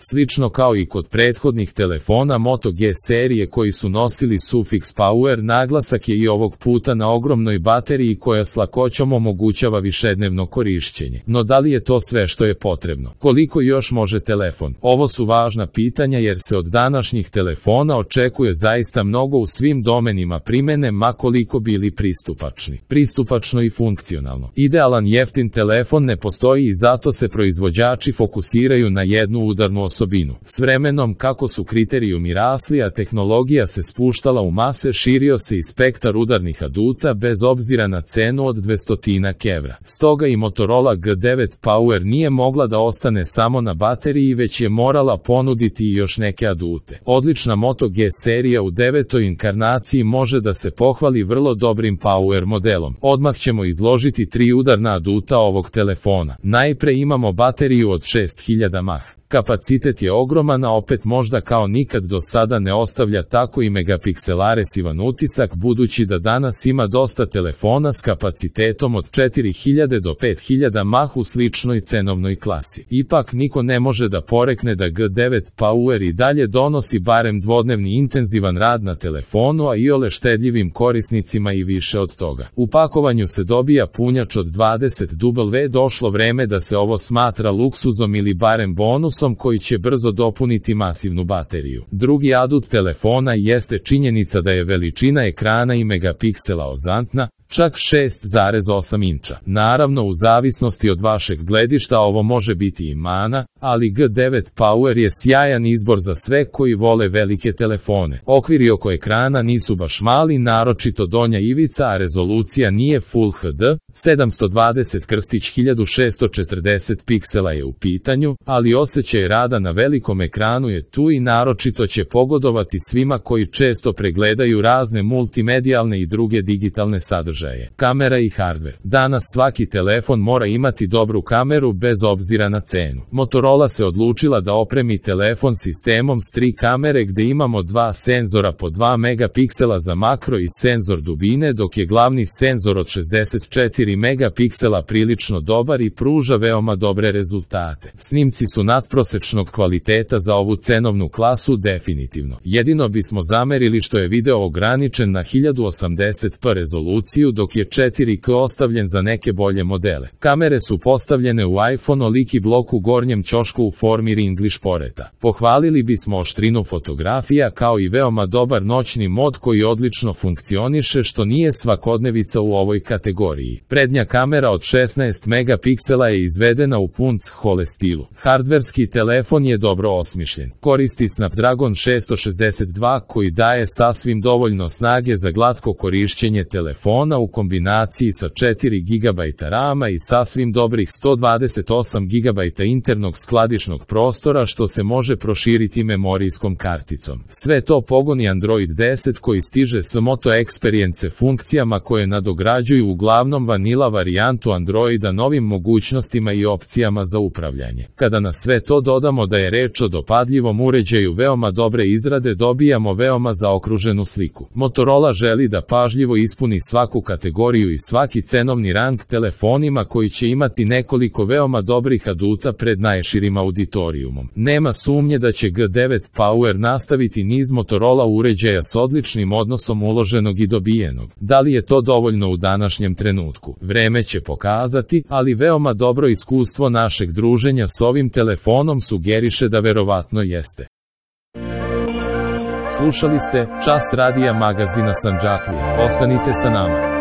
Slično kao i kod prethodnih telefona Moto G serije koji su nosili sufiks Power, naglasak je i ovog puta na ogromnoj bateriji koja s lakoćom omogućava višednevno korišćenje. No da li je to sve što je potrebno? Koliko još može telefon? Ovo su važna pitanja jer se od današnjih telefona očekuje zaista mnogo u svim domenima primene, ma koliko bili pristupačni. Pristupačno i funkcionalno. Idealan jeftin telefon ne postoji i zato se proizvođači fokusiraju na jednu udarnu osobinu. S vremenom, kako su kriterijumi rasli, a tehnologija se spuštala u mase, širio se i spektar udarnih aduta bez obzira na cenu od 200 evra. Stoga i Motorola G9 Power nije mogla da ostane samo na bateriji, već je morala ponuditi i još neke adute. Odlična Moto G serija u 9. inkarnaciji može da se pohvali vrlo dobrim Power modelom. Odmah ćemo izložiti 3 udarna aduta ovog telefona. Najpre imamo bateriju od 6000 mAh. Kapacitet je ogroman, a opet možda kao nikad do sada ne ostavlja tako i megapikselarezivan utisak, budući da danas ima dosta telefona s kapacitetom od 4000 do 5000 mAh u sličnoj cenovnoj klasi. Ipak niko ne može da porekne da G9 Power i dalje donosi barem dvodnevni intenzivan rad na telefonu, a iole štedljivim korisnicima i više od toga. U pakovanju se dobija punjač od 20W, došlo vreme da se ovo smatra luksuzom ili barem bonusom koji će brzo dopuniti masivnu bateriju. Drugi adut telefona jeste činjenica da je veličina ekrana i megapiksela ozantna, čak 6,8 inča. Naravno, u zavisnosti od vašeg gledišta ovo može biti i mana, ali G9 Power je sjajan izbor za sve koji vole velike telefone. Okviri oko ekrana nisu baš mali, naročito donja ivica, a rezolucija nije Full HD, 720x1640 piksela je u pitanju, ali osjećaj rada na velikom ekranu je tu i naročito će pogodovati svima koji često pregledaju razne multimedijalne i druge digitalne sadržaje. Kamera i hardware. Danas svaki telefon mora imati dobru kameru bez obzira na cenu. Motorola se odlučila da opremi telefon sistemom s 3 kamere gde imamo 2 senzora po 2 megapiksela za makro i senzor dubine, dok je glavni senzor od 64 megapiksela prilično dobar i pruža veoma dobre rezultate. Snimci su nadprosečnog kvaliteta za ovu cenovnu klasu definitivno. Jedino bismo zamerili što je video ograničen na 1080p rezoluciju, dok je 4K ostavljen za neke bolje modele. Kamere su postavljene u iPhone oliki blok u gornjem ćošku u formi ringli šporeta. Pohvalili bismo oštrinu fotografija kao i veoma dobar noćni mod koji odlično funkcioniše, što nije svakodnevica u ovoj kategoriji. Prednja kamera od 16 megapiksela je izvedena u punc hole stilu. Hardverski telefon je dobro osmišljen. Koristi Snapdragon 662 koji daje sasvim dovoljno snage za glatko korišćenje telefona u kombinaciji sa 4 GB RAM-a i sasvim dobrih 128 GB internog skladišnog prostora, što se može proširiti memorijskom karticom. Sve to pogoni Android 10 koji stiže s Moto Experience funkcijama koje nadograđuju uglavnom vanila varijantu Androida novim mogućnostima i opcijama za upravljanje. Kada na sve to dodamo da je reč o dopadljivom uređaju veoma dobre izrade, dobijamo veoma zaokruženu sliku. Motorola želi da pažljivo ispuni svaku kategoriju i svaki cenovni rang telefonima koji će imati nekoliko veoma dobrih aduta pred najširim auditorijumom. Nema sumnje da će G9 Power nastaviti niz Motorola uređaja s odličnim odnosom uloženog i dobijenog. Da li je to dovoljno u današnjem trenutku? Vreme će pokazati, ali veoma dobro iskustvo našeg druženja s ovim telefonom sugeriše da verovatno jeste. Slušali ste Čas radija magazina Sandžaklija. Ostanite sa nama.